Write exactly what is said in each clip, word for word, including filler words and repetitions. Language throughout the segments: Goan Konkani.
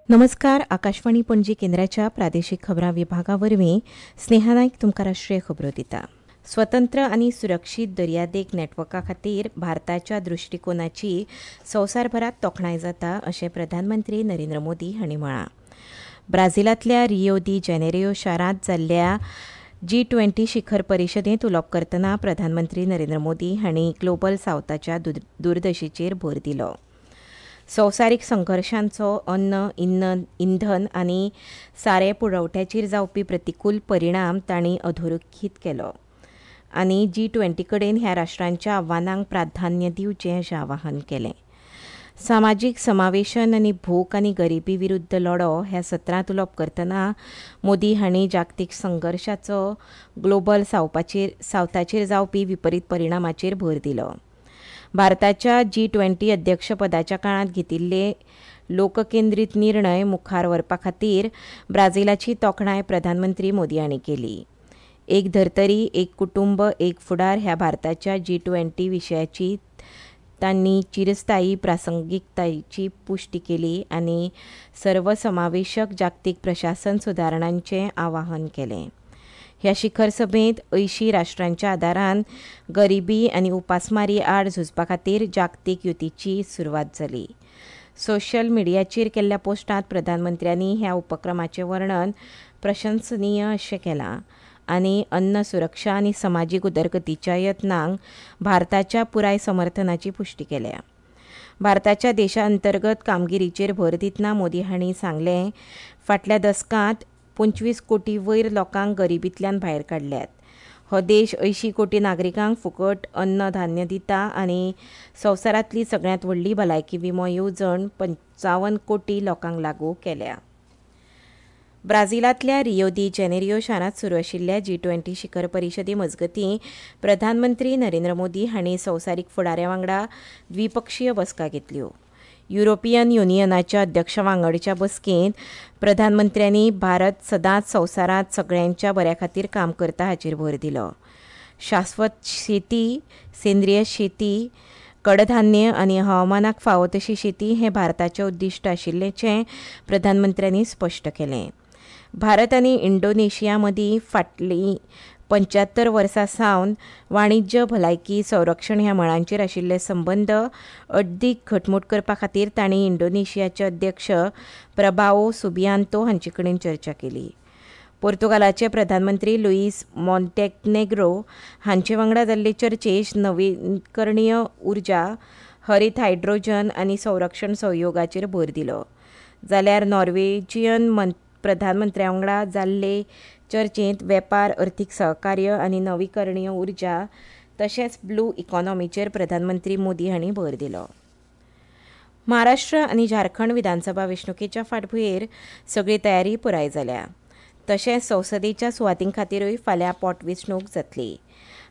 नमस्कार. आकाशवाणी पणजी केंद्राच्या प्रादेशिक खबरां विभागा वरवीं स्नेहा नायक तुमकां राष्ट्रीय खबरो दिता. स्वतंत्र आनी सुरक्षीत दर्यादेग नेटवर्का खातीर भारताच्या दृश्टिकोनाची संवसारभरात तोखणाय जाता अशें प्रधानमंत्री नरेंद्र मोदी हांणी म्हळां. ब्राझिलांतल्या रियो दी जेनेरियो शारांत जाल्ल्या जी ट्वेंटी शिखर परिशदेंत उलोवप करतना प्रधानमंत्री नरेंद्र मोदी हांणी ग्लोबल सावथाच्या दुर्दशेचेर भर दिलो. संवसारीक संघर्शांचो अन्न, इंधन आनी सारें पुरवठ्याचेर जावपी प्रतिकूल परिणाम तांणी अधोरेखीत केलो आनी जी ट्वेंटी कडेन ह्या राष्ट्रांच्या आव्हानांक प्राधान्य दिवचें अशें आवाहन केलें. सामाजीक समावेशन आनी भूक आनी गरिबी विरुद्ध लढो ह्या सत्रांत उलोवप करतना मोदी हांणी जागतीक संघर्शाचो ग्लोबल सावपाचेर सावथाचेर जावपी विपरीत परिणामाचेर भर दिलो. भारताच्या जी ट्वेंटी अध्यक्षपदाच्या काळांत घेतिल्ले लोककेंद्रीत निर्णय मुखार व्हरपा खातीर ब्राझिलाची तोखणाय प्रधानमंत्री मोदी हांणी केली. एक धर्तरी, एक कुटुंब, एक फुडार ह्या भारताच्या जी ट्वेंटी विशयाची तांणी चिरस्थायी प्रासंगिकतायेची पुष्टी केली आनी सर्वसमावेशक जागतीक प्रशासन सुदारणांचें आवाहन केलें. ह्या शिखर सभेंत अंयशीं राष्ट्रांच्या आदारान गरिबी आनी उपासमारी आड झुजपा खातीर जागतीक युतीची सुरवात जाली. सोशल मिडियाचेर केल्ल्या पोस्टांत प्रधानमंत्र्यांनी ह्या उपक्रमाचें वर्णन प्रशंसनीय अशें केलां आनी अन्न सुरक्षा आनी समाजीक उदरगतीच्या यत्नांक भारताच्या पुराय समर्थनाची पुष्टी केल्या. भारताच्या देशांतर्गत कामगिरीचेर भर दितना मोदी हांणी सांगलें, फाटल्या दसकांत पंचवीस कोटी वयर लोकांक गरिबींतल्यान भायर काडल्यात. हो देश अंयशीं कोटी नागरिकांक फुकट अन्न धान्य दिता आनी संवसारांतली सगळ्यांत व्हडली भलायकी विमो येवजण पंचावन्न कोटी लोकांक लागू केल्या. ब्राझिलांतल्या रियो दी जेनेरियो शारांत सुरू आशिल्ल्या जी ट्वेंटी शिखर परिशदे मजगतीं प्रधानमंत्री नरेंद्र मोदी हांणी संवसारीक फुडाऱ्यां वांगडा द्विपक्षीय बसका घेतल्यो. युरोपियन युनियनाच्या अध्यक्षा वांगडच्या बसकेंत प्रधानमंत्र्यांनी भारत सदांच संवसारांत सगळ्यांच्या बऱ्या खातीर काम करता हाचेर भर दिलो. शाश्वत शेती, सेंद्रीय शेती, कडधान्य आनी हवामानाक फावो तशी शेती हें भारताचें उद्दिश्ट आशिल्ल्याचें प्रधानमंत्र्यांनी स्पश्ट केलें. भारत आनी इंडोनेशिया मदीं फाटलीं पंच्यात्तर वर्सां सावन वाणिज्य, भलायकी, संरक्षण ह्या मळांचेर आशिल्ले संबंद अदीक घटमूट करपा खातीर तांणी इंडोनेशियाचे अध्यक्ष प्रभाओ सुबियांतो हांचे कडेन चर्चा केली. पोर्तुगालाचे प्रधानमंत्री लुईस मॉन्टेनेग्रो हांचे वांगडा जाल्ले चर्चेत नवीकरणीय उर्जा, हरीत हायड्रोजन आनी संरक्षण सहयोगाचेर भर दिलो. जाल्यार नॉर्वेजियन प्रधानमंत्र्या वांगडा जाल्ले चर्चेंत वेपार, अर्थीक सहकार्य आनी नवीकरणीय उर्जा तशेंच ब्लू इकॉनॉमीचेर प्रधानमंत्री मोदी हांणी भर दिलो. महाराष्ट्र आनी झारखंड विधानसभा वेंचणुकेच्या फाटभुंयेर सगळी तयारी पुराय जाल्या. तशेंच संसदेच्या सुवातीं खातीरूय फाल्यां पोटवेंचणूक जातली.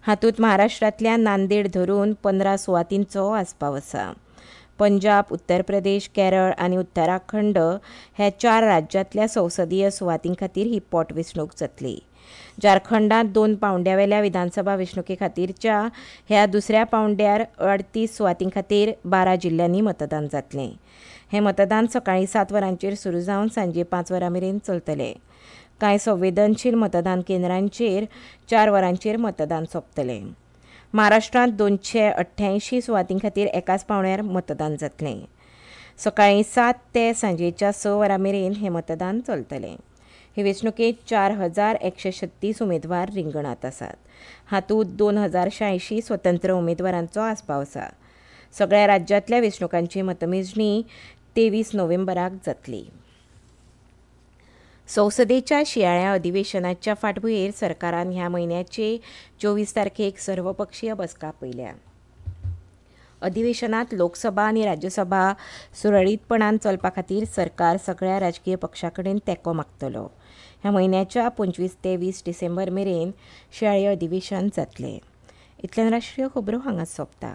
हातूंत महाराष्ट्रांतल्या नांदेड धरून पंदरा सुवातींचो आस्पाव आसा. पंजाब, उत्तर प्रदेश, केरळ आनी उत्तराखंड ह्या चार राज्यांतल्या संसदीय सुवातीं खातीर ही पोटवेंचणूक जातली. झारखंडांत दोन पावंड्यावेल्या विधानसभा वेंचणुके खातीरच्या ह्या दुसऱ्या पावंड्यार अडतीस सुवातीं खातीर बारा जिल्ल्यांनी मतदान जातलें. हें मतदान सकाळीं सात वरांचेर सुरू जावन सांजे पांच वरां मेरेन चलतलें. कांय संवेदनशील मतदान केंद्रांचेर चार वरांचेर मतदान सोंपतलें. महाराष्ट्रांत दोनशे अठ्ठ्यायशीं सुवातीं खातीर एकाच पावंड्यार मतदान जातलें. सकाळीं सात ते सांजेच्या स वरां मेरेन हें मतदान चलतलें. हे वेंचणुकेंत चार हजार एकशे छत्तीस उमेदवार रिंगणांत आसात. हातूंत दोन हजार शांयशीं स्वतंत्र उमेदवारांचो आस्पाव आसा. सगळ्या राज्यांतल्या वेंचणुकांची मतमेजणी तेवीस नोव्हेंबराक जातली. संसदेच्या शिंयाळ्या अधिवेशनाच्या फाटभुंयेर सरकारान ह्या म्हयन्याचे चोवीस तारखेक सर्वपक्षीय बसका आपयल्या. अधिवेशनात लोकसभा आनी राज्यसभा सुरळीतपणान चलपा खातीर सरकार सगळ्या राजकीय पक्षां कडेन तेंको मागतलो. ह्या म्हयन्याच्या पंचवीस ते वीस डिसेंबर मेरेन शिंयाळें अधिवेशन जातलें. इतल्यान राष्ट्रीय खबरो हांगाच सोंपता.